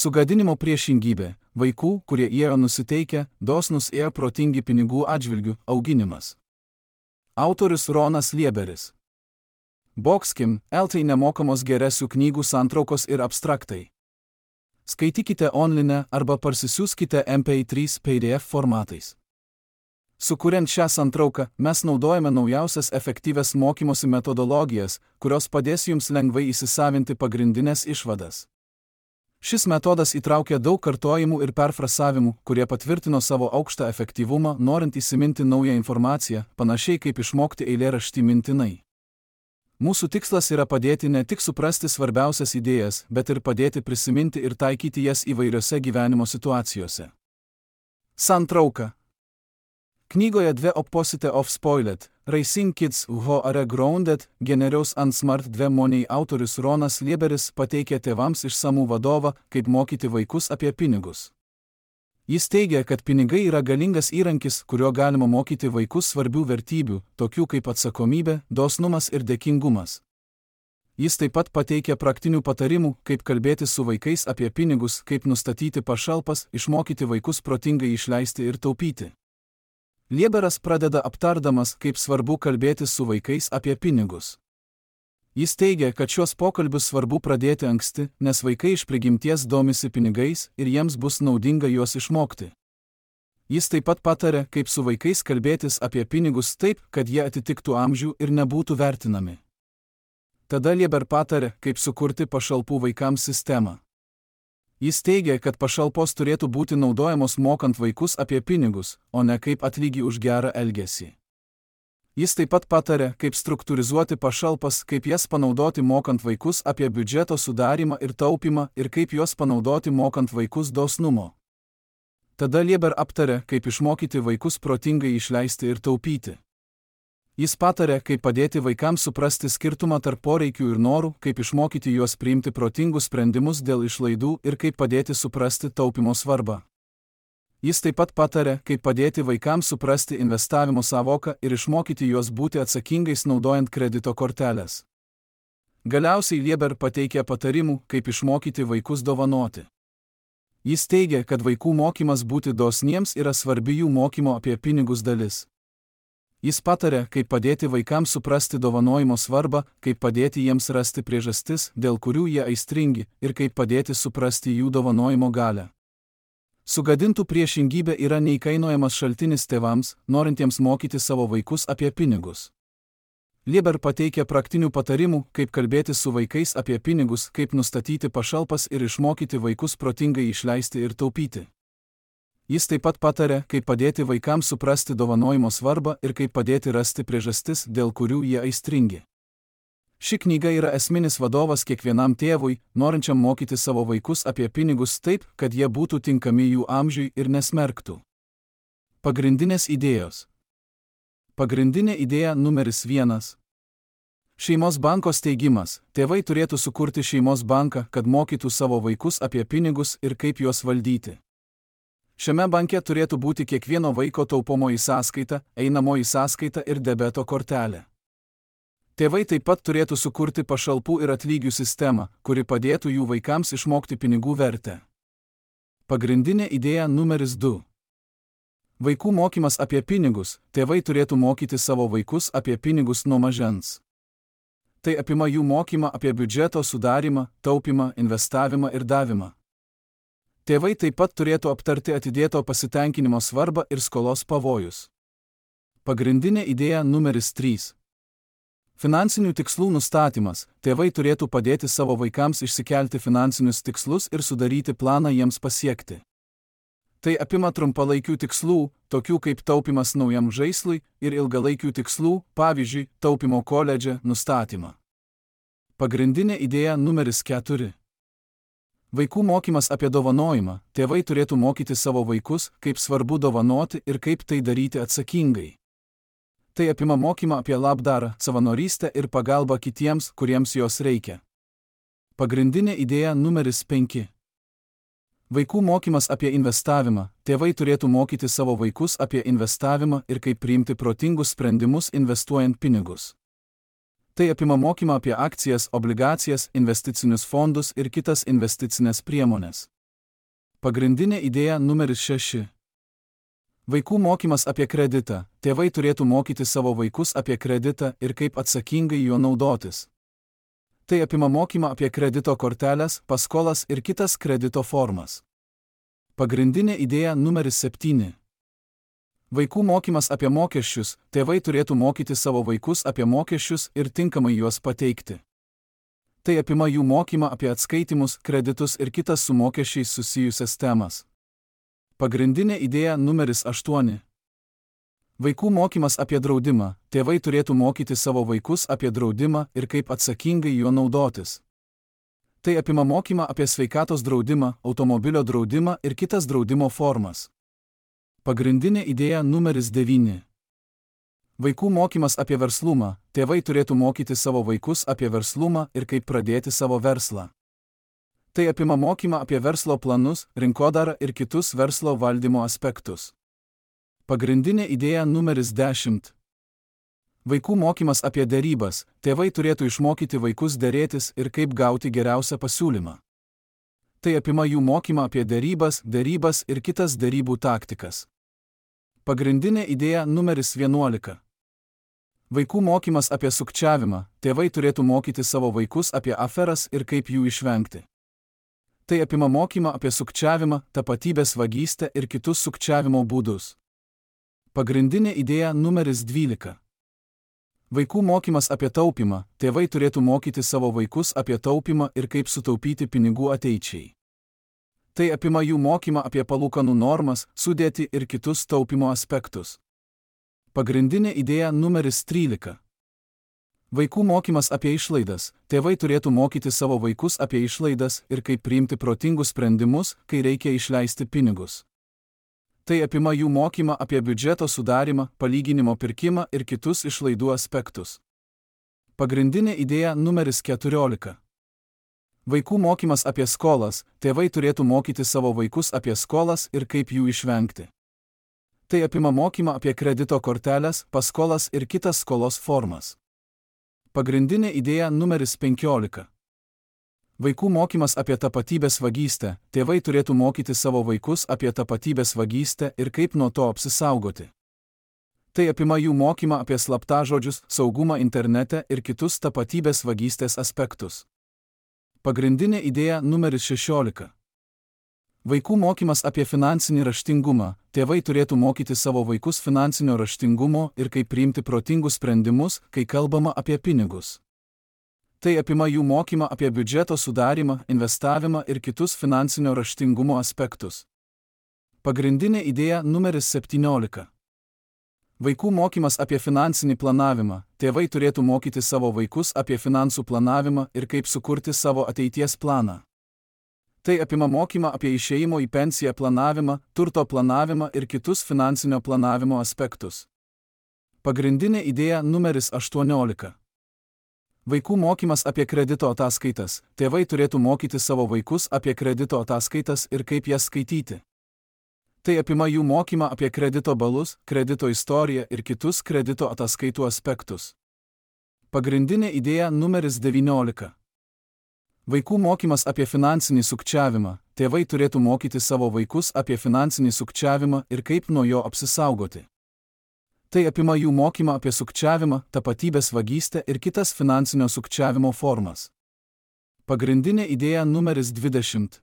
Sugadinimo priešingybė – vaikų, kurie yra nusiteikę, dosnūs ir protingi pinigų atžvilgių, auginimas. Autorius Ronas Lieberis. Boxkim, LT nemokamos geresių knygų santraukos ir abstraktai. Skaitykite online arba parsisiųskite MP3 PDF formatais. Sukuriant šią santrauką, mes naudojame naujausias efektyvias mokymosi metodologijas, kurios padės jums lengvai įsisavinti pagrindinės išvadas. Šis metodas įtraukia daug kartojimų ir perfrasavimų, kurie patvirtino savo aukštą efektyvumą, norint įsiminti naują informaciją, panašiai kaip išmokti eilėraštį mintinai. Mūsų tikslas yra padėti ne tik suprasti svarbiausias idėjas, bet ir padėti prisiminti ir taikyti jas įvairiose gyvenimo situacijose. Santrauka. Knygoje The Opposite of Spoiled, Raising Kids Who Are Grounded, Generaus and Smart 2 Money autorius Ronas Lieberis pateikė tėvams išsamų vadovą, kaip mokyti vaikus apie pinigus. Jis teigia, kad pinigai yra galingas įrankis, kuriuo galima mokyti vaikus svarbių vertybių, tokių kaip atsakomybė, dosnumas ir dėkingumas. Jis taip pat pateikia praktinių patarimų, kaip kalbėti su vaikais apie pinigus, kaip nustatyti pašalpas, išmokyti vaikus protingai išleisti ir taupyti. Lieberas pradeda aptardamas, kaip svarbu kalbėti su vaikais apie pinigus. Jis teigia, kad šios pokalbius svarbu pradėti anksti, nes vaikai iš prigimties domisi pinigais ir jiems bus naudinga juos išmokti. Jis taip pat pataria, kaip su vaikais kalbėtis apie pinigus taip, kad jie atitiktų amžių ir nebūtų vertinami. Tada Lieber pataria, kaip sukurti pašalpų vaikams sistemą. Jis teigia, kad pašalpos turėtų būti naudojamos mokant vaikus apie pinigus, o ne kaip atlygį už gerą elgesį. Jis taip pat pataria, kaip struktūrizuoti pašalpas, kaip jas panaudoti mokant vaikus apie biudžeto sudarymą ir taupymą ir kaip juos panaudoti mokant vaikus dosnumo. Tada Lieber aptaria, kaip išmokyti vaikus protingai išleisti ir taupyti. Jis pataria, kaip padėti vaikams suprasti skirtumą tarp poreikių ir norų, kaip išmokyti juos priimti protingus sprendimus dėl išlaidų ir kaip padėti suprasti taupimo svarbą. Jis taip pat pataria, kaip padėti vaikams suprasti investavimo sąvoką ir išmokyti juos būti atsakingais naudojant kredito korteles. Galiausiai Lieber pateikia patarimų, kaip išmokyti vaikus dovanoti. Jis teigia, kad vaikų mokymas būti dosniems yra svarbi jų mokymo apie pinigus dalis. Jis pataria, kaip padėti vaikams suprasti dovanojimo svarbą, kaip padėti jiems rasti priežastis, dėl kurių jie aistringi, ir kaip padėti suprasti jų dovanojimo galią. Sugadintų priešingybė yra neįkainojamas šaltinis tėvams, norintiems mokyti savo vaikus apie pinigus. Lieber pateikia praktinių patarimų, kaip kalbėti su vaikais apie pinigus, kaip nustatyti pašalpas ir išmokyti vaikus protingai išleisti ir taupyti. Jis taip pat pataria, kaip padėti vaikams suprasti dovanojimo svarbą ir kaip padėti rasti priežastis, dėl kurių jie aistringi. Ši knyga yra esminis vadovas kiekvienam tėvui, norinčiam mokyti savo vaikus apie pinigus taip, kad jie būtų tinkami jų amžiui ir nesmerktų. Pagrindinės idėjos. Pagrindinė idėja numeris 1. Šeimos banko steigimas. Tėvai turėtų sukurti šeimos banką, kad mokytų savo vaikus apie pinigus ir kaip juos valdyti. Šiame banke turėtų būti kiekvieno vaiko taupomoji sąskaita, einamoji sąskaita ir debeto kortelė. Tėvai taip pat turėtų sukurti pašalpų ir atlygių sistemą, kuri padėtų jų vaikams išmokti pinigų vertę. Pagrindinė idėja numeris 2. Vaikų mokymas apie pinigus. Tėvai turėtų mokyti savo vaikus apie pinigus nuo mažens. Tai apima jų mokymą apie biudžeto sudarymą, taupymą, investavimą ir davimą. Tėvai taip pat turėtų aptarti atidėto pasitenkinimo svarbą ir skolos pavojus. Pagrindinė idėja numeris 3. Finansinių tikslų nustatymas. Tėvai turėtų padėti savo vaikams išsikelti finansinius tikslus ir sudaryti planą jiems pasiekti. Tai apima trumpalaikių tikslų, tokių kaip taupimas naujam žaislui, ir ilgalaikių tikslų, pavyzdžiui, taupimo koledže, nustatymą. Pagrindinė idėja numeris 4. Vaikų mokymas apie dovanojimą. Tėvai turėtų mokyti savo vaikus, kaip svarbu dovanoti ir kaip tai daryti atsakingai. Tai apima mokymą apie labdarą, savanorystę ir pagalbą kitiems, kuriems jos reikia. Pagrindinė idėja numeris 5. Vaikų mokymas apie investavimą. Tėvai turėtų mokyti savo vaikus apie investavimą ir kaip priimti protingus sprendimus investuojant pinigus. Tai apima mokymą apie akcijas, obligacijas, investicinius fondus ir kitas investicinės priemonės. Pagrindinė idėja numeris 6. Vaikų mokymas apie kreditą. Tėvai turėtų mokyti savo vaikus apie kreditą ir kaip atsakingai juo naudotis. Tai apima mokymą apie kredito korteles, paskolas ir kitas kredito formas. Pagrindinė idėja numeris 7. Vaikų mokymas apie mokesčius. Tėvai turėtų mokyti savo vaikus apie mokesčius ir tinkamai juos pateikti. Tai apima jų mokymą apie atskaitimus, kreditus ir kitas su mokesčiais susijusias temas. Pagrindinė idėja numeris 8. Vaikų mokymas apie draudimą. Tėvai turėtų mokyti savo vaikus apie draudimą ir kaip atsakingai juo naudotis. Tai apima mokymą apie sveikatos draudimą, automobilio draudimą ir kitas draudimo formas. Pagrindinė idėja numeris 9. Vaikų mokymas apie verslumą. Tėvai turėtų mokyti savo vaikus apie verslumą ir kaip pradėti savo verslą. Tai apima mokymą apie verslo planus, rinkodarą ir kitus verslo valdymo aspektus. Pagrindinė idėja numeris 10. Vaikų mokymas apie derybas. Tėvai turėtų išmokyti vaikus derėtis ir kaip gauti geriausią pasiūlymą. Tai apima jų mokymą apie derybas ir kitas derybų taktikas. Pagrindinė idėja numeris 11. Vaikų mokymas apie sukčiavimą. Tėvai turėtų mokyti savo vaikus apie aferas ir kaip jų išvengti. Tai apima mokymą apie sukčiavimą, tapatybės vagystę ir kitus sukčiavimo būdus. Pagrindinė idėja numeris 12. Vaikų mokymas apie taupymą. Tėvai turėtų mokyti savo vaikus apie taupymą ir kaip sutaupyti pinigų ateičiai. Tai apima jų mokymą apie palūkanų normas, sudėtį ir kitus taupymo aspektus. Pagrindinė idėja numeris 13. Vaikų mokymas apie išlaidas. Tėvai turėtų mokyti savo vaikus apie išlaidas ir kaip priimti protingus sprendimus, kai reikia išleisti pinigus. Tai apima jų mokymą apie biudžeto sudarimą, palyginimo pirkimą ir kitus išlaidų aspektus. Pagrindinė idėja numeris 14. Vaikų mokymas apie skolas. Tėvai turėtų mokyti savo vaikus apie skolas ir kaip jų išvengti. Tai apima mokymą apie kredito korteles, paskolas ir kitas skolos formas. Pagrindinė idėja numeris 15. Vaikų mokymas apie tapatybės vagystę. Tėvai turėtų mokyti savo vaikus apie tapatybės vagystę ir kaip nuo to apsisaugoti. Tai apima jų mokymą apie slaptažodžius, saugumą internete ir kitus tapatybės vagystės aspektus. Pagrindinė idėja numeris 16. Vaikų mokymas apie finansinį raštingumą. Tėvai turėtų mokyti savo vaikus finansinio raštingumo ir kaip priimti protingus sprendimus, kai kalbama apie pinigus. Tai apima jų mokymą apie biudžeto sudarimą, investavimą ir kitus finansinio raštingumo aspektus. Pagrindinė idėja numeris 17. Vaikų mokymas apie finansinį planavimą. Tėvai turėtų mokyti savo vaikus apie finansų planavimą ir kaip sukurti savo ateities planą. Tai apima mokymą apie išėjimo į pensiją planavimą, turto planavimą ir kitus finansinio planavimo aspektus. Pagrindinė idėja numeris 18. Vaikų mokymas apie kredito ataskaitas. Tėvai turėtų mokyti savo vaikus apie kredito ataskaitas ir kaip jas skaityti. Tai apima jų mokymą apie kredito balus, kredito istoriją ir kitus kredito ataskaitų aspektus. Pagrindinė idėja numeris 19. Vaikų mokymas apie finansinį sukčiavimą. Tėvai turėtų mokyti savo vaikus apie finansinį sukčiavimą ir kaip nuo jo apsisaugoti. Tai apima jų mokymą apie sukčiavimą, tapatybės vagystę ir kitas finansinio sukčiavimo formas. Pagrindinė idėja numeris 20.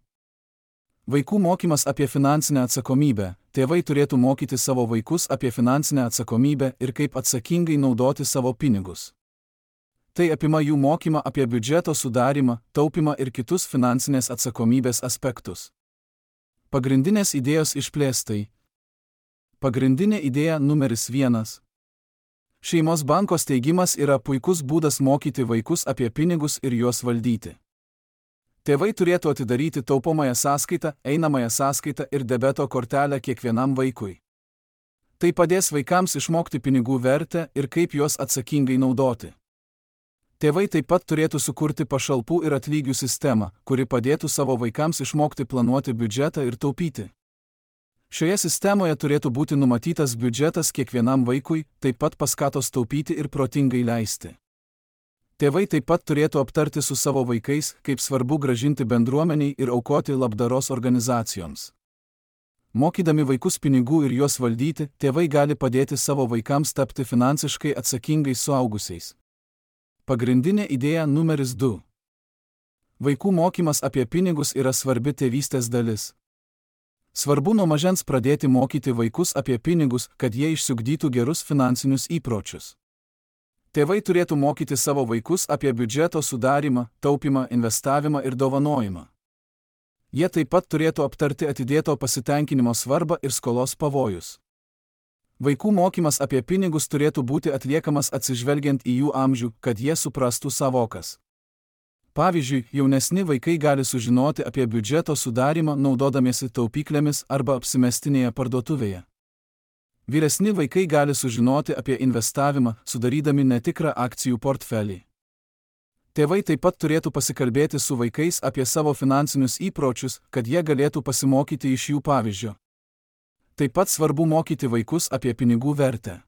Vaikų mokymas apie finansinę atsakomybę. Tėvai turėtų mokyti savo vaikus apie finansinę atsakomybę ir kaip atsakingai naudoti savo pinigus. Tai apima jų mokymą apie biudžeto sudarimą, taupymą ir kitus finansinės atsakomybės aspektus. Pagrindinės idėjos išplėstai. Pagrindinė idėja numeris 1. Šeimos banko steigimas yra puikus būdas mokyti vaikus apie pinigus ir juos valdyti. Tėvai turėtų atidaryti taupomąją sąskaitą, einamąją sąskaitą ir debeto kortelę kiekvienam vaikui. Tai padės vaikams išmokti pinigų vertę ir kaip juos atsakingai naudoti. Tėvai taip pat turėtų sukurti pašalpų ir atlygių sistemą, kuri padėtų savo vaikams išmokti planuoti biudžetą ir taupyti. Šioje sistemoje turėtų būti numatytas biudžetas kiekvienam vaikui, taip pat paskatos taupyti ir protingai leisti. Tėvai taip pat turėtų aptarti su savo vaikais, kaip svarbu grąžinti bendruomeniai ir aukoti labdaros organizacijoms. Mokydami vaikus pinigų ir juos valdyti, tėvai gali padėti savo vaikams tapti finansiškai atsakingais suaugusiais. Pagrindinė idėja numeris 2. Vaikų mokymas apie pinigus yra svarbi tėvystės dalis. Svarbu nuo mažens pradėti mokyti vaikus apie pinigus, kad jie išsiugdytų gerus finansinius įpročius. Tėvai turėtų mokyti savo vaikus apie biudžeto sudarymą, taupymą, investavimą ir dovanojimą. Jie taip pat turėtų aptarti atidėto pasitenkinimo svarbą ir skolos pavojus. Vaikų mokymas apie pinigus turėtų būti atliekamas atsižvelgiant į jų amžių, kad jie suprastų savokas. Pavyzdžiui, jaunesni vaikai gali sužinoti apie biudžeto sudarymą naudodamiesi taupyklėmis arba apsimestinėje parduotuvėje. Vyresni vaikai gali sužinoti apie investavimą, sudarydami netikrą akcijų portfelį. Tėvai taip pat turėtų pasikalbėti su vaikais apie savo finansinius įpročius, kad jie galėtų pasimokyti iš jų pavyzdžio. Taip pat svarbu mokyti vaikus apie pinigų vertę.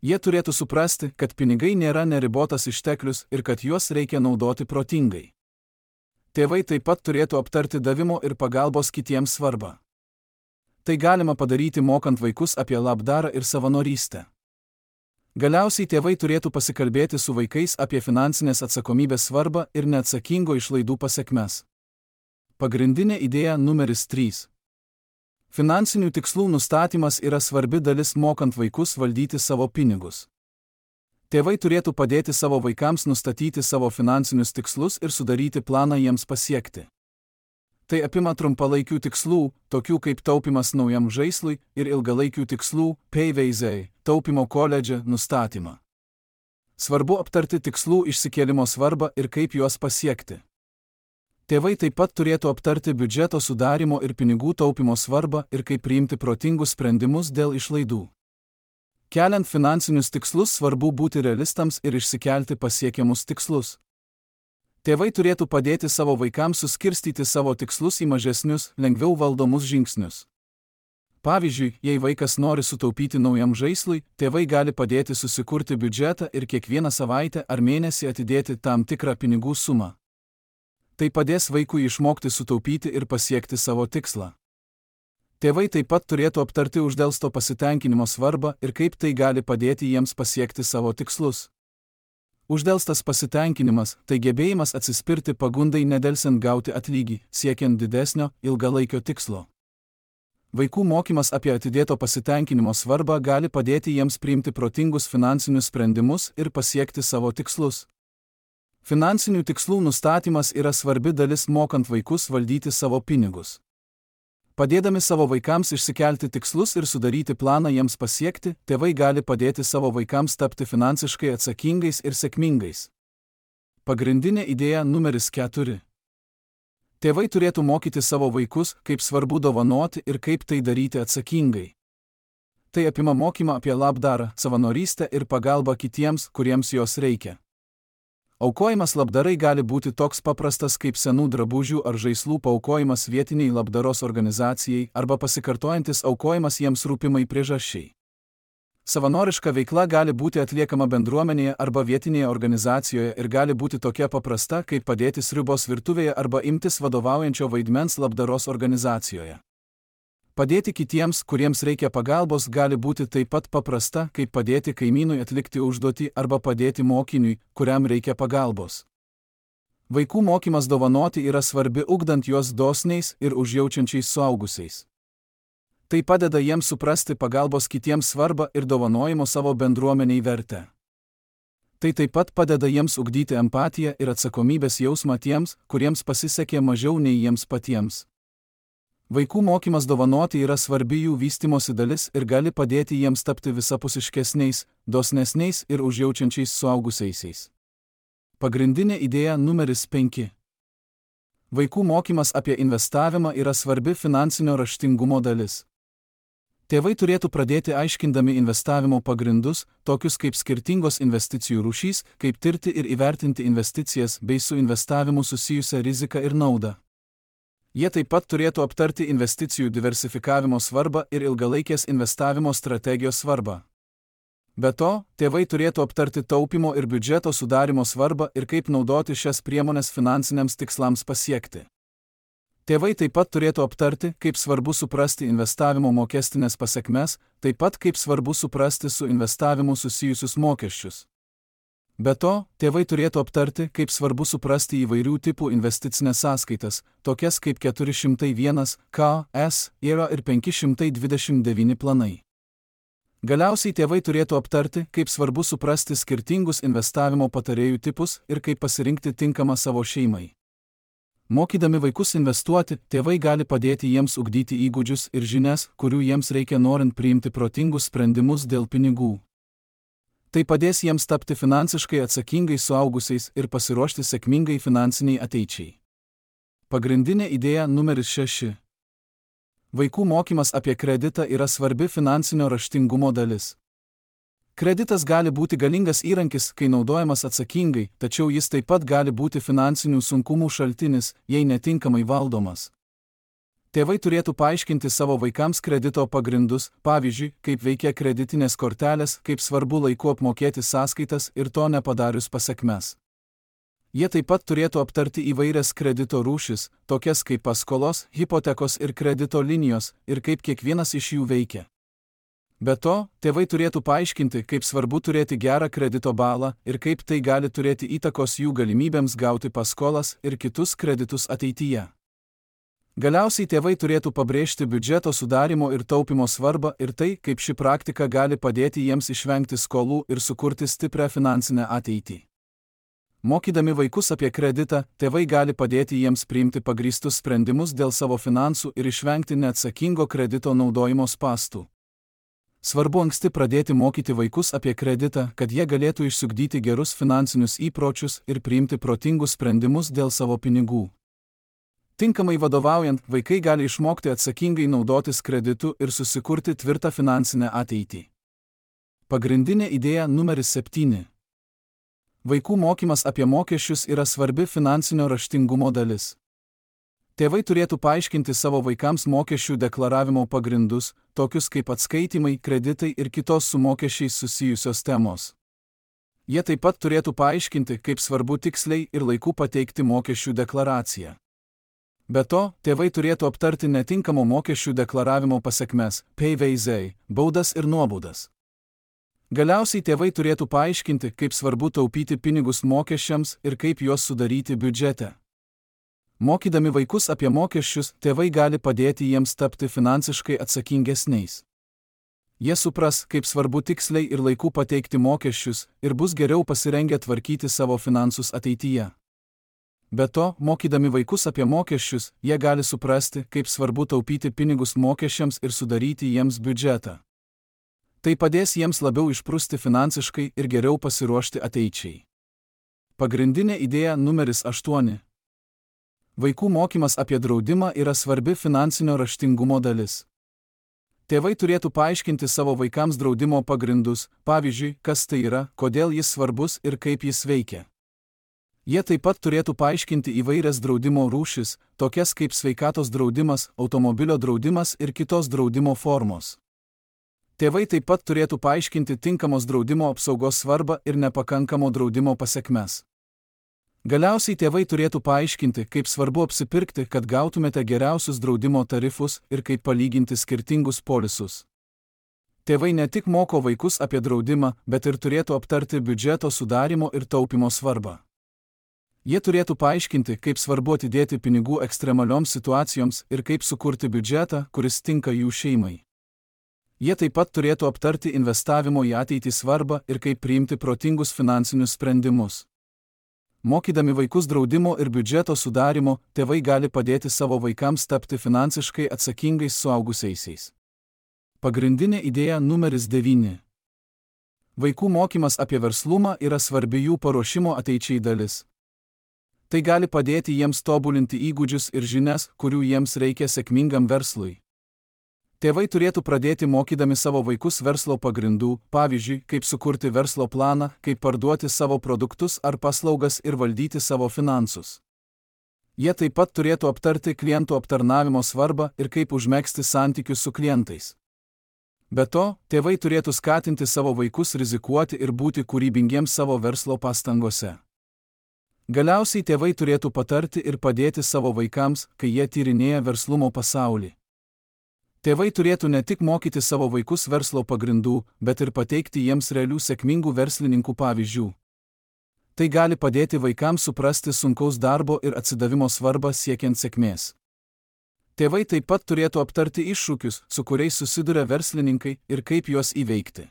Jie turėtų suprasti, kad pinigai nėra neribotas išteklius ir kad juos reikia naudoti protingai. Tėvai taip pat turėtų aptarti davimo ir pagalbos kitiems svarbą. Tai galima padaryti mokant vaikus apie labdarą ir savanorystę. Galiausiai tėvai turėtų pasikalbėti su vaikais apie finansinės atsakomybės svarbą ir neatsakingo išlaidų pasekmes. Pagrindinė idėja numeris 3. Finansinių tikslų nustatymas yra svarbi dalis mokant vaikus valdyti savo pinigus. Tėvai turėtų padėti savo vaikams nustatyti savo finansinius tikslus ir sudaryti planą jiems pasiekti. Tai apima trumpalaikių tikslų, tokių kaip taupimas naujam žaislui, ir ilgalaikių tikslų, PVZ, taupimo koledže, nustatymą. Svarbu aptarti tikslų išsikėlimo svarbą ir kaip juos pasiekti. Tėvai taip pat turėtų aptarti biudžeto sudarimo ir pinigų taupimo svarbą ir kaip priimti protingus sprendimus dėl išlaidų. Keliant finansinius tikslus svarbu būti realistams ir išsikelti pasiekiamus tikslus. Tėvai turėtų padėti savo vaikams suskirstyti savo tikslus į mažesnius, lengviau valdomus žingsnius. Pavyzdžiui, jei vaikas nori sutaupyti naujam žaislui, tėvai gali padėti susikurti biudžetą ir kiekvieną savaitę ar mėnesį atidėti tam tikrą pinigų sumą. Tai padės vaikui išmokti sutaupyti ir pasiekti savo tikslą. Tėvai taip pat turėtų aptarti uždelsto pasitenkinimo svarbą ir kaip tai gali padėti jiems pasiekti savo tikslus. Uždelstas pasitenkinimas – tai gebėjimas atsispirti pagundai nedelsiant gauti atlygį, siekiant didesnio, ilgalaikio tikslo. Vaikų mokymas apie atidėto pasitenkinimo svarbą gali padėti jiems priimti protingus finansinius sprendimus ir pasiekti savo tikslus. Finansinių tikslų nustatymas yra svarbi dalis mokant vaikus valdyti savo pinigus. Padėdami savo vaikams išsikelti tikslus ir sudaryti planą jiems pasiekti, tėvai gali padėti savo vaikams tapti finansiškai atsakingais ir sėkmingais. Pagrindinė idėja numeris 4. Tėvai turėtų mokyti savo vaikus, kaip svarbu dovanoti ir kaip tai daryti atsakingai. Tai apima mokymą apie labdarą, savanorystę ir pagalbą kitiems, kuriems jos reikia. Aukojimas labdarai gali būti toks paprastas kaip senų drabužių ar žaislų paaukojimas vietiniai labdaros organizacijai arba pasikartojantis aukojimas jiems rūpimai priežasčiai. Savanoriška veikla gali būti atliekama bendruomenėje arba vietinėje organizacijoje ir gali būti tokia paprasta, kaip padėti sriubos virtuvėje arba imtis vadovaujančio vaidmens labdaros organizacijoje. Padėti kitiems, kuriems reikia pagalbos, gali būti taip pat paprasta, kaip padėti kaimynui atlikti užduotį arba padėti mokiniui, kuriam reikia pagalbos. Vaikų mokymas dovanoti yra svarbi ugdant juos dosniais ir užjaučiančiais suaugusiais. Tai padeda jiems suprasti pagalbos kitiems svarbą ir dovanojimo savo bendruomeniai vertę. Tai taip pat padeda jiems ugdyti empatiją ir atsakomybės jausmą tiems, kuriems pasisekė mažiau nei jiems patiems. Vaikų mokymas dovanoti yra svarbi jų vystymosi dalis ir gali padėti jiems tapti visapusiškesniais, dosnesniais ir užjaučiančiais suaugusiaisiais. Pagrindinė idėja numeris 5. Vaikų mokymas apie investavimą yra svarbi finansinio raštingumo dalis. Tėvai turėtų pradėti aiškindami investavimo pagrindus, tokius kaip skirtingos investicijų rūšys, kaip tirti ir įvertinti investicijas bei su investavimu susijusią riziką ir naudą. Jie taip pat turėtų aptarti investicijų diversifikavimo svarbą ir ilgalaikės investavimo strategijos svarbą. Be to, tėvai turėtų aptarti taupymo ir biudžeto sudarimo svarbą ir kaip naudoti šias priemones finansiniams tikslams pasiekti. Tėvai taip pat turėtų aptarti, kaip svarbu suprasti investavimo mokestinės pasekmes, taip pat kaip svarbu suprasti su investavimu susijusius mokesčius. Be to, tėvai turėtų aptarti, kaip svarbu suprasti įvairių tipų investicinės sąskaitas, tokias kaip 401 KS yra ir 529 planai. Galiausiai tėvai turėtų aptarti, kaip svarbu suprasti skirtingus investavimo patarėjų tipus ir kaip pasirinkti tinkamą savo šeimai. Mokydami vaikus investuoti, tėvai gali padėti jiems ugdyti įgūdžius ir žinias, kurių jiems reikia norint priimti protingus sprendimus dėl pinigų. Tai padės jiems tapti finansiškai atsakingais suaugusiais ir pasiruošti sėkmingai finansiniai ateičiai. Pagrindinė idėja numeris 6. Vaikų mokymas apie kreditą yra svarbi finansinio raštingumo dalis. Kreditas gali būti galingas įrankis, kai naudojamas atsakingai, tačiau jis taip pat gali būti finansinių sunkumų šaltinis, jei netinkamai valdomas. Tėvai turėtų paaiškinti savo vaikams kredito pagrindus, pavyzdžiui, kaip veikia kreditinės kortelės, kaip svarbu laiku apmokėti sąskaitas ir to nepadarius pasekmes. Jie taip pat turėtų aptarti įvairias kredito rūšis, tokias kaip paskolos, hipotekos ir kredito linijos, ir kaip kiekvienas iš jų veikia. Be to, tėvai turėtų paaiškinti, kaip svarbu turėti gerą kredito balą ir kaip tai gali turėti įtakos jų galimybėms gauti paskolas ir kitus kreditus ateityje. Galiausiai tėvai turėtų pabrėžti biudžeto sudarimo ir taupimo svarbą ir tai, kaip ši praktika gali padėti jiems išvengti skolų ir sukurti stiprią finansinę ateitį. Mokydami vaikus apie kreditą, tėvai gali padėti jiems priimti pagrįstus sprendimus dėl savo finansų ir išvengti neatsakingo kredito naudojimo spąstų. Svarbu anksti pradėti mokyti vaikus apie kreditą, kad jie galėtų išsiugdyti gerus finansinius įpročius ir priimti protingus sprendimus dėl savo pinigų. Tinkamai vadovaujant, vaikai gali išmokti atsakingai naudotis kreditu ir susikurti tvirtą finansinę ateitį. Pagrindinė idėja numeris 7. Vaikų mokymas apie mokesčius yra svarbi finansinio raštingumo dalis. Tėvai turėtų paaiškinti savo vaikams mokesčių deklaravimo pagrindus, tokius kaip atskaitymai, kreditai ir kitos su mokesčiais susijusios temos. Jie taip pat turėtų paaiškinti, kaip svarbu tiksliai ir laiku pateikti mokesčių deklaraciją. Be to, tėvai turėtų aptarti netinkamo mokesčių deklaravimo pasekmes, PVZ, baudas ir nuobaudas. Galiausiai tėvai turėtų paaiškinti, kaip svarbu taupyti pinigus mokesčiams ir kaip juos sudaryti biudžete. Mokydami vaikus apie mokesčius, tėvai gali padėti jiems tapti finansiškai atsakingesniais. Jie supras, kaip svarbu tiksliai ir laiku pateikti mokesčius ir bus geriau pasirengę tvarkyti savo finansus ateityje. Be to, mokydami vaikus apie mokesčius, jie gali suprasti, kaip svarbu taupyti pinigus mokesčiams ir sudaryti jiems biudžetą. Tai padės jiems labiau išprusti finansiškai ir geriau pasiruošti ateičiai. Pagrindinė idėja numeris 8. Vaikų mokymas apie draudimą yra svarbi finansinio raštingumo dalis. Tėvai turėtų paaiškinti savo vaikams draudimo pagrindus, pavyzdžiui, kas tai yra, kodėl jis svarbus ir kaip jis veikia. Jie taip pat turėtų paaiškinti įvairias draudimo rūšis, tokias kaip sveikatos draudimas, automobilio draudimas ir kitos draudimo formos. Tėvai taip pat turėtų paaiškinti tinkamos draudimo apsaugos svarbą ir nepakankamo draudimo pasekmes. Galiausiai tėvai turėtų paaiškinti, kaip svarbu apsipirkti, kad gautumėte geriausius draudimo tarifus ir kaip palyginti skirtingus polisus. Tėvai ne tik moko vaikus apie draudimą, bet ir turėtų aptarti biudžeto sudarimo ir taupimo svarbą. Jie turėtų paaiškinti, kaip svarbu atidėti pinigų ekstremalioms situacijoms ir kaip sukurti biudžetą, kuris tinka jų šeimai. Jie taip pat turėtų aptarti investavimo į ateitį svarbą ir kaip priimti protingus finansinius sprendimus. Mokydami vaikus draudimo ir biudžeto sudarimo, tėvai gali padėti savo vaikams tapti finansiškai atsakingais suaugusiaisiais. Pagrindinė idėja numeris 9. Vaikų mokymas apie verslumą yra svarbi jų paruošimo ateičiai dalis. Tai gali padėti jiems tobulinti įgūdžius ir žinias, kurių jiems reikia sėkmingam verslui. Tėvai turėtų pradėti mokydami savo vaikus verslo pagrindų, pavyzdžiui, kaip sukurti verslo planą, kaip parduoti savo produktus ar paslaugas ir valdyti savo finansus. Jie taip pat turėtų aptarti klientų aptarnavimo svarbą ir kaip užmegzti santykius su klientais. Be to, tėvai turėtų skatinti savo vaikus rizikuoti ir būti kūrybingiems savo verslo pastangose. Galiausiai tėvai turėtų patarti ir padėti savo vaikams, kai jie tyrinėja verslumo pasaulį. Tėvai turėtų ne tik mokyti savo vaikus verslo pagrindų, bet ir pateikti jiems realių sėkmingų verslininkų pavyzdžių. Tai gali padėti vaikams suprasti sunkaus darbo ir atsidavimo svarbą siekiant sėkmės. Tėvai taip pat turėtų aptarti iššūkius, su kuriais susiduria verslininkai ir kaip juos įveikti.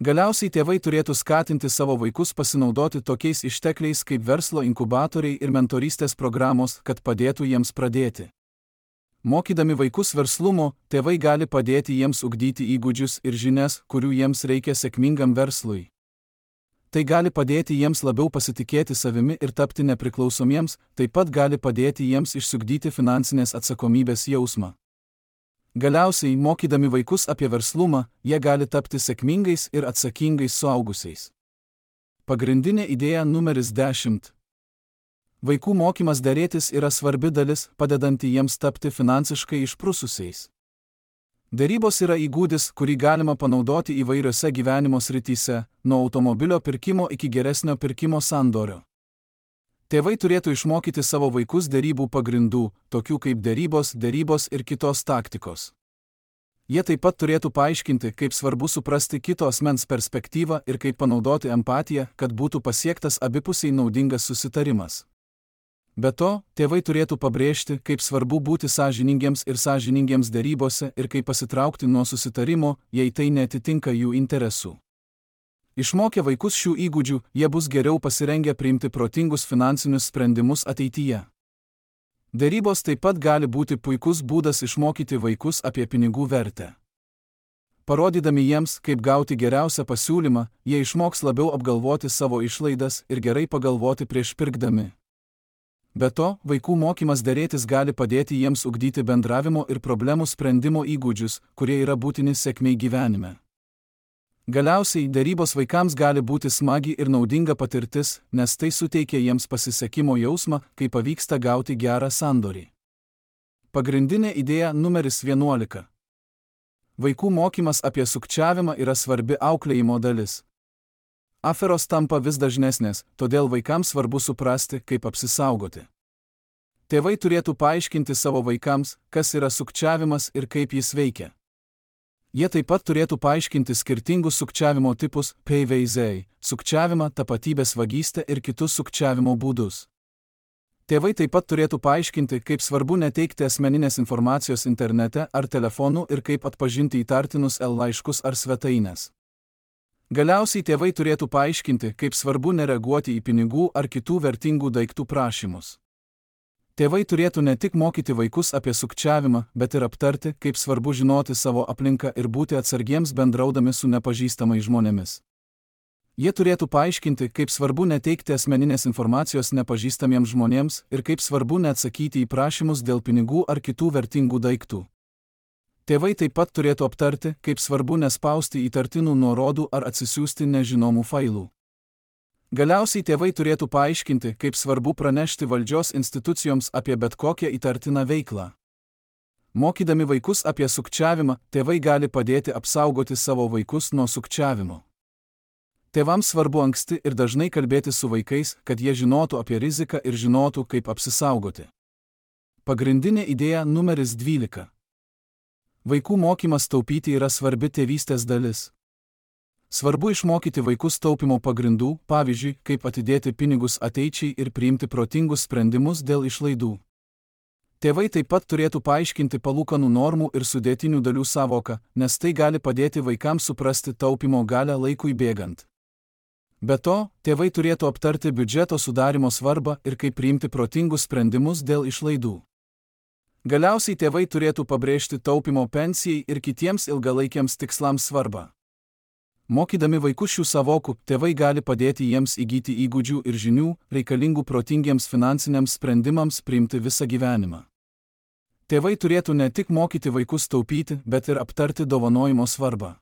Galiausiai tėvai turėtų skatinti savo vaikus pasinaudoti tokiais ištekliais kaip verslo inkubatoriai ir mentorystės programos, kad padėtų jiems pradėti. Mokydami vaikus verslumo, tėvai gali padėti jiems ugdyti įgūdžius ir žinias, kurių jiems reikia sėkmingam verslui. Tai gali padėti jiems labiau pasitikėti savimi ir tapti nepriklausomiems, taip pat gali padėti jiems išsiugdyti finansinės atsakomybės jausmą. Galiausiai, mokydami vaikus apie verslumą, jie gali tapti sėkmingais ir atsakingais suaugusiais. Pagrindinė idėja numeris 10. Vaikų mokymas derėtis yra svarbi dalis, padedanti jiems tapti finansiškai išprususiais. Derybos yra įgūdis, kurį galima panaudoti įvairiose gyvenimo srityse, nuo automobilio pirkimo iki geresnio pirkimo sandorio. Tėvai turėtų išmokyti savo vaikus derybų pagrindų, tokių kaip derybos ir kitos taktikos. Jie taip pat turėtų paaiškinti, kaip svarbu suprasti kito asmens perspektyvą ir kaip panaudoti empatiją, kad būtų pasiektas abipusiai naudingas susitarimas. Be to, tėvai turėtų pabrėžti, kaip svarbu būti sąžiningiems derybose ir kaip pasitraukti nuo susitarimo, jei tai neatitinka jų interesų. Išmokę vaikus šių įgūdžių, jie bus geriau pasirengę priimti protingus finansinius sprendimus ateityje. Derybos taip pat gali būti puikus būdas išmokyti vaikus apie pinigų vertę. Parodydami jiems, kaip gauti geriausią pasiūlymą, jie išmoks labiau apgalvoti savo išlaidas ir gerai pagalvoti prieš pirkdami. Be to, vaikų mokymas derėtis gali padėti jiems ugdyti bendravimo ir problemų sprendimo įgūdžius, kurie yra būtini sėkmei gyvenime. Galiausiai, derybos vaikams gali būti smagi ir naudinga patirtis, nes tai suteikia jiems pasisekimo jausmą, kai pavyksta gauti gerą sandorį. Pagrindinė idėja numeris 11. Vaikų mokymas apie sukčiavimą yra svarbi auklėjimo dalis. Aferos tampa vis dažnesnės, todėl vaikams svarbu suprasti, kaip apsisaugoti. Tėvai turėtų paaiškinti savo vaikams, kas yra sukčiavimas ir kaip jis veikia. Jie taip pat turėtų paaiškinti skirtingus sukčiavimo tipus, PVZ, sukčiavimą, tapatybės vagystę ir kitus sukčiavimo būdus. Tėvai taip pat turėtų paaiškinti, kaip svarbu neteikti asmeninės informacijos internete ar telefonu ir kaip atpažinti įtartinus laiškus ar svetaines. Galiausiai tėvai turėtų paaiškinti, kaip svarbu nereaguoti į pinigų ar kitų vertingų daiktų prašymus. Tėvai turėtų ne tik mokyti vaikus apie sukčiavimą, bet ir aptarti, kaip svarbu žinoti savo aplinką ir būti atsargiems bendraudami su nepažįstamais žmonėmis. Jie turėtų paaiškinti, kaip svarbu neteikti asmeninės informacijos nepažįstamiems žmonėms ir kaip svarbu neatsakyti į prašymus dėl pinigų ar kitų vertingų daiktų. Tėvai taip pat turėtų aptarti, kaip svarbu nespausti įtartinų nuorodų ar atsisiųsti nežinomų failų. Galiausiai tėvai turėtų paaiškinti, kaip svarbu pranešti valdžios institucijoms apie bet kokią įtartiną veiklą. Mokydami vaikus apie sukčiavimą, tėvai gali padėti apsaugoti savo vaikus nuo sukčiavimo. Tėvams svarbu anksti ir dažnai kalbėti su vaikais, kad jie žinotų apie riziką ir žinotų, kaip apsisaugoti. Pagrindinė idėja numeris 12. Vaikų mokymas taupyti yra svarbi tėvystės dalis. Svarbu išmokyti vaikus taupimo pagrindų, pavyzdžiui, kaip atidėti pinigus ateičiai ir priimti protingus sprendimus dėl išlaidų. Tėvai taip pat turėtų paaiškinti palūkanų normų ir sudėtinių dalių sąvoką, nes tai gali padėti vaikams suprasti taupimo galią laikui bėgant. Be to, tėvai turėtų aptarti biudžeto sudarimo svarbą ir kaip priimti protingus sprendimus dėl išlaidų. Galiausiai tėvai turėtų pabrėžti taupimo pensijai ir kitiems ilgalaikiams tikslams svarbą. Mokydami vaikus šių sąvokų, tėvai gali padėti jiems įgyti įgūdžių ir žinių, reikalingų protingiems finansiniams sprendimams priimti visą gyvenimą. Tėvai turėtų ne tik mokyti vaikus taupyti, bet ir aptarti dovanojimo svarbą.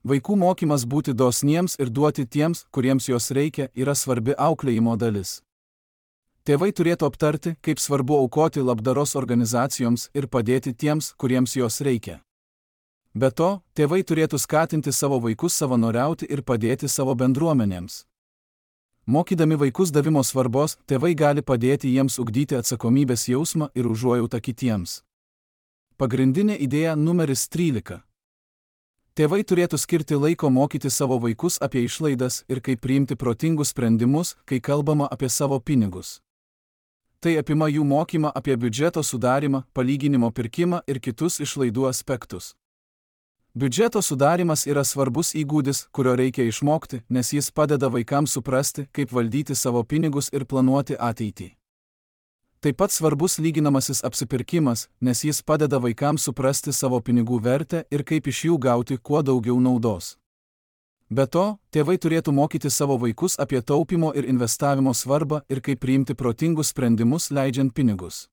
Vaikų mokymas būti dosniems ir duoti tiems, kuriems jos reikia, yra svarbi auklėjimo dalis. Tėvai turėtų aptarti, kaip svarbu aukoti labdaros organizacijoms ir padėti tiems, kuriems jos reikia. Be to, tėvai turėtų skatinti savo vaikus savanoriauti ir padėti savo bendruomenėms. Mokydami vaikus davimo svarbos, tėvai gali padėti jiems ugdyti atsakomybės jausmą ir užuojautą kitiems. Pagrindinė idėja numeris 13. Tėvai turėtų skirti laiko mokyti savo vaikus apie išlaidas ir kaip priimti protingus sprendimus, kai kalbama apie savo pinigus. Tai apima jų mokymą apie biudžeto sudarimą, palyginimo pirkimą ir kitus išlaidų aspektus. Biudžeto sudarimas yra svarbus įgūdis, kurio reikia išmokti, nes jis padeda vaikams suprasti, kaip valdyti savo pinigus ir planuoti ateitį. Taip pat svarbus lyginamasis apsipirkimas, nes jis padeda vaikams suprasti savo pinigų vertę ir kaip iš jų gauti kuo daugiau naudos. Be to, tėvai turėtų mokyti savo vaikus apie taupymo ir investavimo svarbą ir kaip priimti protingus sprendimus leidžiant pinigus.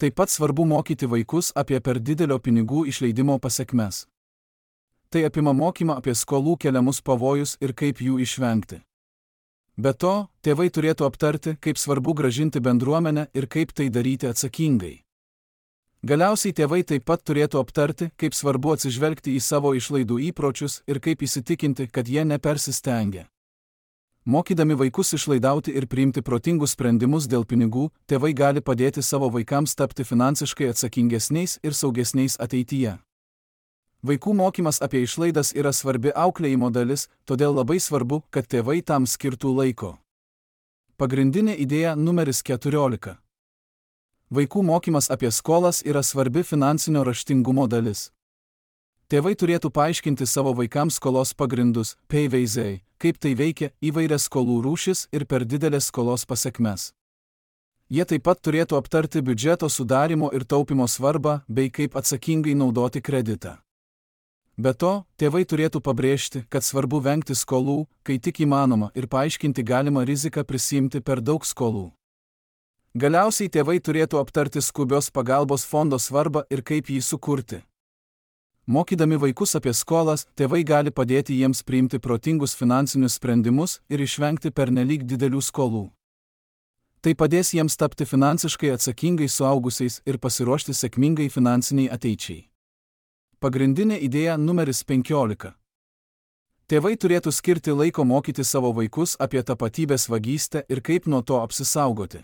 Taip pat svarbu mokyti vaikus apie per didelio pinigų išleidimo pasekmes. Tai apima mokymą apie skolų keliamus pavojus ir kaip jų išvengti. Be to, tėvai turėtų aptarti, kaip svarbu grąžinti bendruomenę ir kaip tai daryti atsakingai. Galiausiai tėvai taip pat turėtų aptarti, kaip svarbu atsižvelgti į savo išlaidų įpročius ir kaip įsitikinti, kad jie nepersistengia. Mokydami vaikus išlaidauti ir priimti protingus sprendimus dėl pinigų, tėvai gali padėti savo vaikams tapti finansiškai atsakingesniais ir saugesniais ateityje. Vaikų mokymas apie išlaidas yra svarbi auklėjimo dalis, todėl labai svarbu, kad tėvai tam skirtų laiko. Pagrindinė idėja numeris 14. Vaikų mokymas apie skolas yra svarbi finansinio raštingumo dalis. Tėvai turėtų paaiškinti savo vaikams skolos pagrindus, PVZ, kaip tai veikia, įvairias skolų rūšis ir per didelės skolos pasekmes. Jie taip pat turėtų aptarti biudžeto sudarimo ir taupimo svarbą, bei kaip atsakingai naudoti kreditą. Be to, tėvai turėtų pabrėžti, kad svarbu vengti skolų, kai tik įmanoma, ir paaiškinti galimą riziką prisiimti per daug skolų. Galiausiai tėvai turėtų aptarti skubios pagalbos fondo svarbą ir kaip jį sukurti. Mokydami vaikus apie skolas, tėvai gali padėti jiems priimti protingus finansinius sprendimus ir išvengti pernelyg didelių skolų. Tai padės jiems tapti finansiškai atsakingais suaugusiais ir pasiruošti sėkmingai finansiniai ateičiai. Pagrindinė idėja numeris 15. Tėvai turėtų skirti laiko mokyti savo vaikus apie tapatybės vagystę ir kaip nuo to apsisaugoti.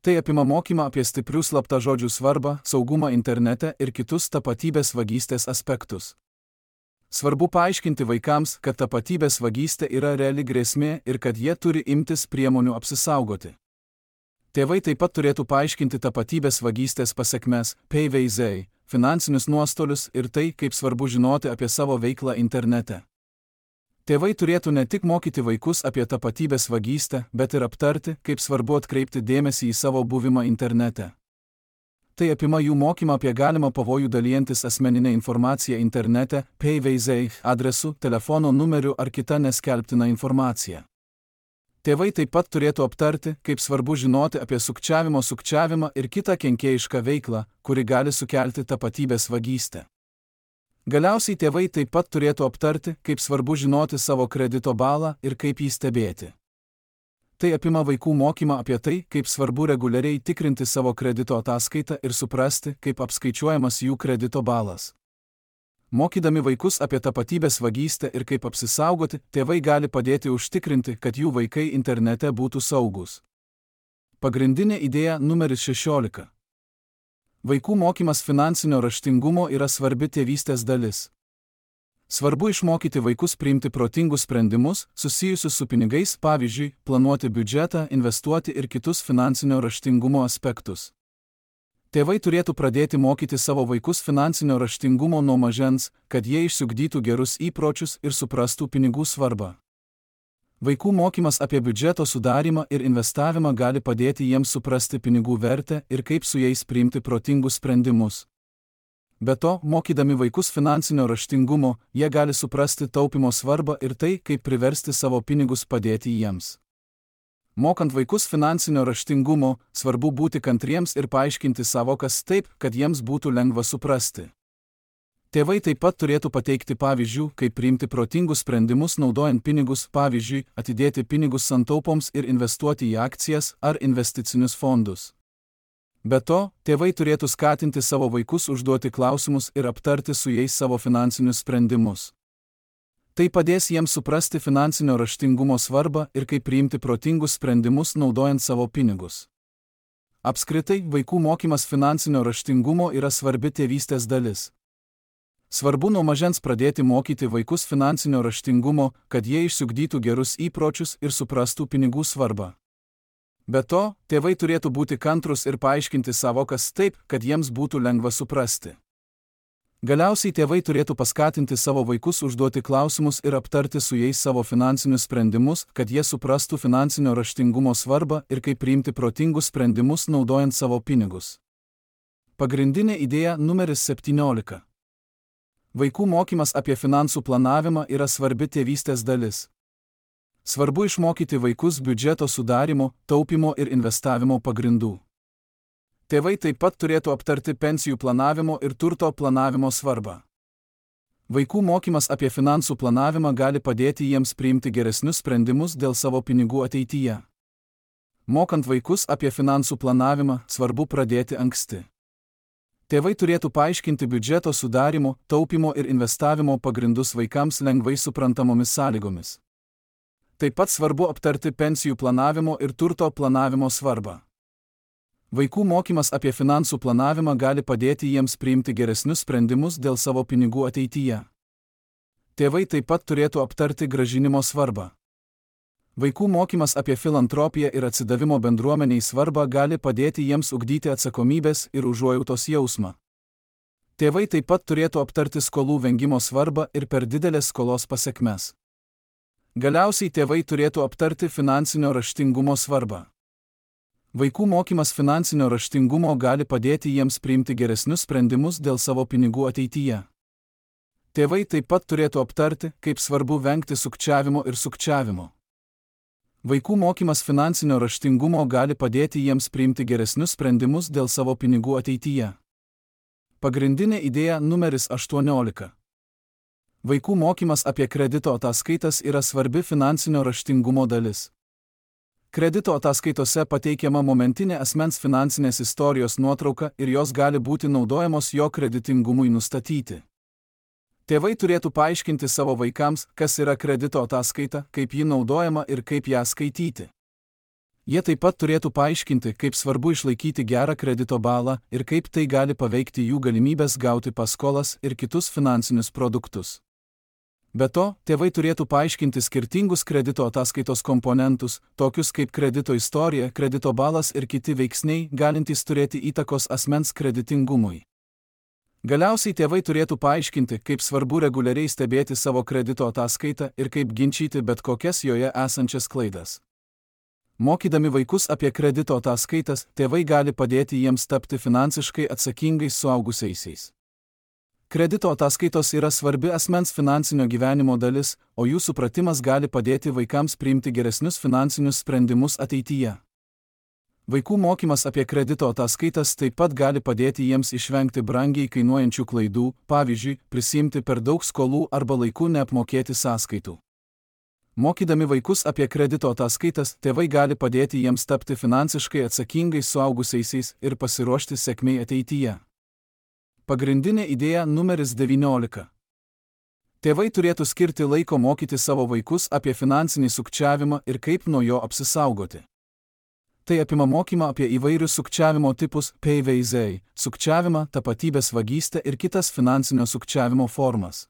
Tai apima mokymą apie stiprių slaptažodžių svarbą, saugumą internete ir kitus tapatybės vagystės aspektus. Svarbu paaiškinti vaikams, kad tapatybės vagystė yra reali grėsmė ir kad jie turi imtis priemonių apsisaugoti. Tėvai taip pat turėtų paaiškinti tapatybės vagystės pasekmes, PVZ, finansinius nuostolius ir tai, kaip svarbu žinoti apie savo veiklą internete. Tėvai turėtų ne tik mokyti vaikus apie tapatybės vagystę, bet ir aptarti, kaip svarbu atkreipti dėmesį į savo buvimą internete. Tai apima jų mokymą apie galimą pavojų dalijantis asmeninę informaciją internete, PVZ, adresu, telefono numeriu ar kitą neskelbtiną informaciją. Tėvai taip pat turėtų aptarti, kaip svarbu žinoti apie sukčiavimą ir kitą kenkėjišką veiklą, kuri gali sukelti tapatybės vagystę. Galiausiai tėvai taip pat turėtų aptarti, kaip svarbu žinoti savo kredito balą ir kaip jį stebėti. Tai apima vaikų mokymą apie tai, kaip svarbu reguliariai tikrinti savo kredito ataskaitą ir suprasti, kaip apskaičiuojamas jų kredito balas. Mokydami vaikus apie tapatybės vagystę ir kaip apsisaugoti, tėvai gali padėti užtikrinti, kad jų vaikai internete būtų saugus. Pagrindinė idėja numeris 16. Vaikų mokymas finansinio raštingumo yra svarbi tėvystės dalis. Svarbu išmokyti vaikus priimti protingus sprendimus, susijusius su pinigais, pavyzdžiui, planuoti biudžetą, investuoti ir kitus finansinio raštingumo aspektus. Tėvai turėtų pradėti mokyti savo vaikus finansinio raštingumo nuo mažens, kad jie išsiugdytų gerus įpročius ir suprastų pinigų svarbą. Vaikų mokymas apie biudžeto sudarimą ir investavimą gali padėti jiems suprasti pinigų vertę ir kaip su jais priimti protingus sprendimus. Be to, mokydami vaikus finansinio raštingumo, jie gali suprasti taupymo svarbą ir tai, kaip priversti savo pinigus padėti jiems. Mokant vaikus finansinio raštingumo, svarbu būti kantriems ir paaiškinti savokas taip, kad jiems būtų lengva suprasti. Tėvai taip pat turėtų pateikti pavyzdžių, kaip priimti protingus sprendimus naudojant pinigus, pavyzdžiui, atidėti pinigus santaupoms ir investuoti į akcijas ar investicinius fondus. Be to, tėvai turėtų skatinti savo vaikus užduoti klausimus ir aptarti su jais savo finansinius sprendimus. Tai padės jiems suprasti finansinio raštingumo svarbą ir kaip priimti protingus sprendimus naudojant savo pinigus. Apskritai, vaikų mokymas finansinio raštingumo yra svarbi tėvystės dalis. Svarbu nuo mažens pradėti mokyti vaikus finansinio raštingumo, kad jie išsiugdytų gerus įpročius ir suprastų pinigų svarbą. Be to, tėvai turėtų būti kantrūs ir paaiškinti savokas taip, kad jiems būtų lengva suprasti. Galiausiai tėvai turėtų paskatinti savo vaikus užduoti klausimus ir aptarti su jais savo finansinius sprendimus, kad jie suprastų finansinio raštingumo svarbą ir kaip priimti protingus sprendimus naudojant savo pinigus. Pagrindinė idėja numeris 17. Vaikų mokymas apie finansų planavimą yra svarbi tėvystės dalis. Svarbu išmokyti vaikus biudžeto sudarimo, taupimo ir investavimo pagrindų. Tėvai taip pat turėtų aptarti pensijų planavimo ir turto planavimo svarbą. Vaikų mokymas apie finansų planavimą gali padėti jiems priimti geresnius sprendimus dėl savo pinigų ateityje. Mokant vaikus apie finansų planavimą, svarbu pradėti anksti. Tėvai turėtų paaiškinti biudžeto sudarimo, taupimo ir investavimo pagrindus vaikams lengvai suprantamomis sąlygomis. Taip pat svarbu aptarti pensijų planavimo ir turto planavimo svarbą. Vaikų mokymas apie finansų planavimą gali padėti jiems priimti geresnius sprendimus dėl savo pinigų ateityje. Tėvai taip pat turėtų aptarti grąžinimo svarbą. Vaikų mokymas apie filantropiją ir atsidavimo bendruomeniai svarbą gali padėti jiems ugdyti atsakomybės ir užuojautos jausmą. Tėvai taip pat turėtų aptarti skolų vengimo svarbą ir per didelės skolos pasekmes. Galiausiai tėvai turėtų aptarti finansinio raštingumo svarbą. Vaikų mokymas finansinio raštingumo gali padėti jiems priimti geresnius sprendimus dėl savo pinigų ateityje. Tėvai taip pat turėtų aptarti, kaip svarbu vengti sukčiavimo ir sukčiavimo. Vaikų mokymas finansinio raštingumo gali padėti jiems priimti geresnius sprendimus dėl savo pinigų ateityje. Pagrindinė idėja numeris 18. Vaikų mokymas apie kredito ataskaitas yra svarbi finansinio raštingumo dalis. Kredito ataskaitose pateikiama momentinė asmens finansinės istorijos nuotrauka ir jos gali būti naudojamos jo kreditingumui nustatyti. Tėvai turėtų paaiškinti savo vaikams, kas yra kredito ataskaita, kaip ji naudojama ir kaip ją skaityti. Jie taip pat turėtų paaiškinti, kaip svarbu išlaikyti gerą kredito balą ir kaip tai gali paveikti jų galimybės gauti paskolas ir kitus finansinius produktus. Be to, tėvai turėtų paaiškinti skirtingus kredito ataskaitos komponentus, tokius kaip kredito istorija, kredito balas ir kiti veiksniai, galintys turėti įtakos asmens kreditingumui. Galiausiai tėvai turėtų paaiškinti, kaip svarbu reguliariai stebėti savo kredito ataskaitą ir kaip ginčyti bet kokias joje esančias klaidas. Mokydami vaikus apie kredito ataskaitas, tėvai gali padėti jiems tapti finansiškai atsakingais suaugusiaisiais. Kredito ataskaitos yra svarbi asmens finansinio gyvenimo dalis, o jų supratimas gali padėti vaikams priimti geresnius finansinius sprendimus ateityje. Vaikų mokymas apie kredito ataskaitas taip pat gali padėti jiems išvengti brangiai kainuojančių klaidų, pavyzdžiui, prisiimti per daug skolų arba laiku neapmokėti sąskaitų. Mokydami vaikus apie kredito ataskaitas, tėvai gali padėti jiems tapti finansiškai atsakingais suaugusiaisiais ir pasiruošti sėkmei ateityje. Pagrindinė idėja numeris 19. Tėvai turėtų skirti laiko mokyti savo vaikus apie finansinį sukčiavimą ir kaip nuo jo apsisaugoti. Tai apima mokymą apie įvairius sukčiavimo tipus, PVZ, sukčiavimą, tapatybės vagystę ir kitas finansinio sukčiavimo formas.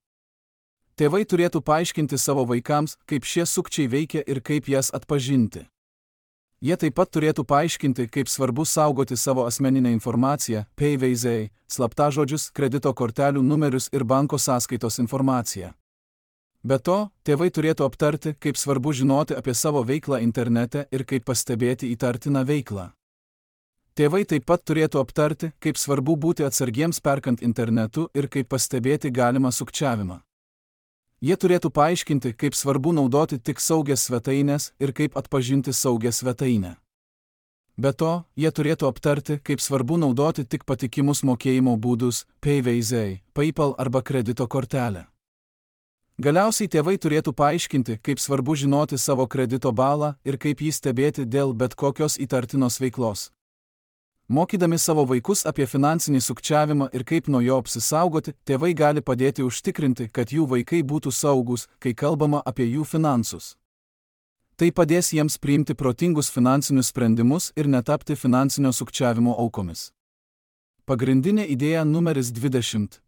Tėvai turėtų paaiškinti savo vaikams, kaip šie sukčiai veikia ir kaip jas atpažinti. Jie taip pat turėtų paaiškinti, kaip svarbu saugoti savo asmeninę informaciją, PVZ, slaptažodžius, kredito kortelių numerius ir banko sąskaitos informaciją. Be to, tėvai turėtų aptarti, kaip svarbu žinoti apie savo veiklą internete ir kaip pastebėti įtartiną veiklą. Tėvai taip pat turėtų aptarti, kaip svarbu būti atsargiems perkant internetu ir kaip pastebėti galimą sukčiavimą. Jie turėtų paaiškinti, kaip svarbu naudoti tik saugias svetaines ir kaip atpažinti saugią svetainę. Be to, jie turėtų aptarti, kaip svarbu naudoti tik patikimus mokėjimo būdus, PVZ, PayPal arba kredito kortelę. Galiausiai tėvai turėtų paaiškinti, kaip svarbu žinoti savo kredito balą ir kaip jį stebėti dėl bet kokios įtartinos veiklos. Mokydami savo vaikus apie finansinį sukčiavimą ir kaip nuo jo apsisaugoti, tėvai gali padėti užtikrinti, kad jų vaikai būtų saugūs, kai kalbama apie jų finansus. Tai padės jiems priimti protingus finansinius sprendimus ir netapti finansinio sukčiavimo aukomis. Pagrindinė idėja numeris 20.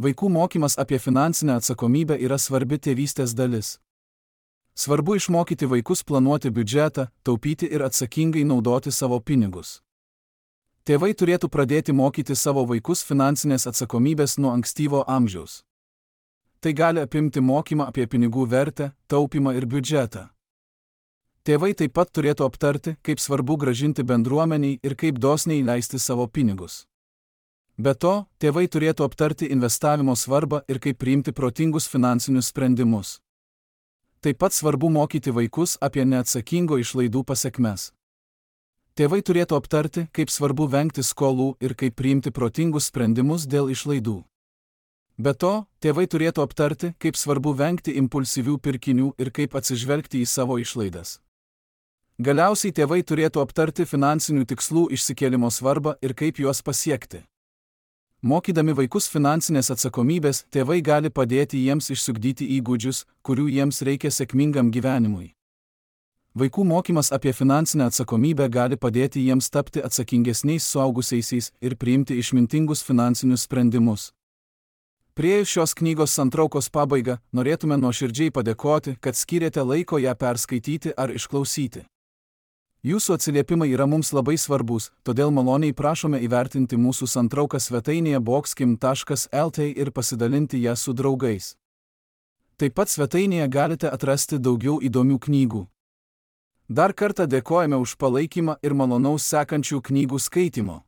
Vaikų mokymas apie finansinę atsakomybę yra svarbi tėvystės dalis. Svarbu išmokyti vaikus planuoti biudžetą, taupyti ir atsakingai naudoti savo pinigus. Tėvai turėtų pradėti mokyti savo vaikus finansinės atsakomybės nuo ankstyvo amžiaus. Tai gali apimti mokymą apie pinigų vertę, taupymą ir biudžetą. Tėvai taip pat turėtų aptarti, kaip svarbu grąžinti bendruomeniai ir kaip dosniai leisti savo pinigus. Be to, tėvai turėtų aptarti investavimo svarbą ir kaip priimti protingus finansinius sprendimus. Taip pat svarbu mokyti vaikus apie neatsakingo išlaidų pasekmes. Tėvai turėtų aptarti, kaip svarbu vengti skolų ir kaip priimti protingus sprendimus dėl išlaidų. Be to, tėvai turėtų aptarti, kaip svarbu vengti impulsyvių pirkinių ir kaip atsižvelgti į savo išlaidas. Galiausiai tėvai turėtų aptarti finansinių tikslų išsikėlimo svarbą ir kaip juos pasiekti. Mokydami vaikus finansinės atsakomybės, tėvai gali padėti jiems išsiugdyti įgūdžius, kurių jiems reikia sėkmingam gyvenimui. Vaikų mokymas apie finansinę atsakomybę gali padėti jiems tapti atsakingesniais suaugusiaisiais ir priimti išmintingus finansinius sprendimus. Priėjus šios knygos santraukos pabaigą, norėtume nuoširdžiai padėkoti, kad skyrėte laiko ją perskaityti ar išklausyti. Jūsų atsiliepimai yra mums labai svarbus, todėl maloniai prašome įvertinti mūsų santrauką svetainėje boxkim.lt ir pasidalinti ją su draugais. Taip pat svetainėje galite atrasti daugiau įdomių knygų. Dar kartą dėkojame už palaikymą ir malonaus sekančių knygų skaitymo.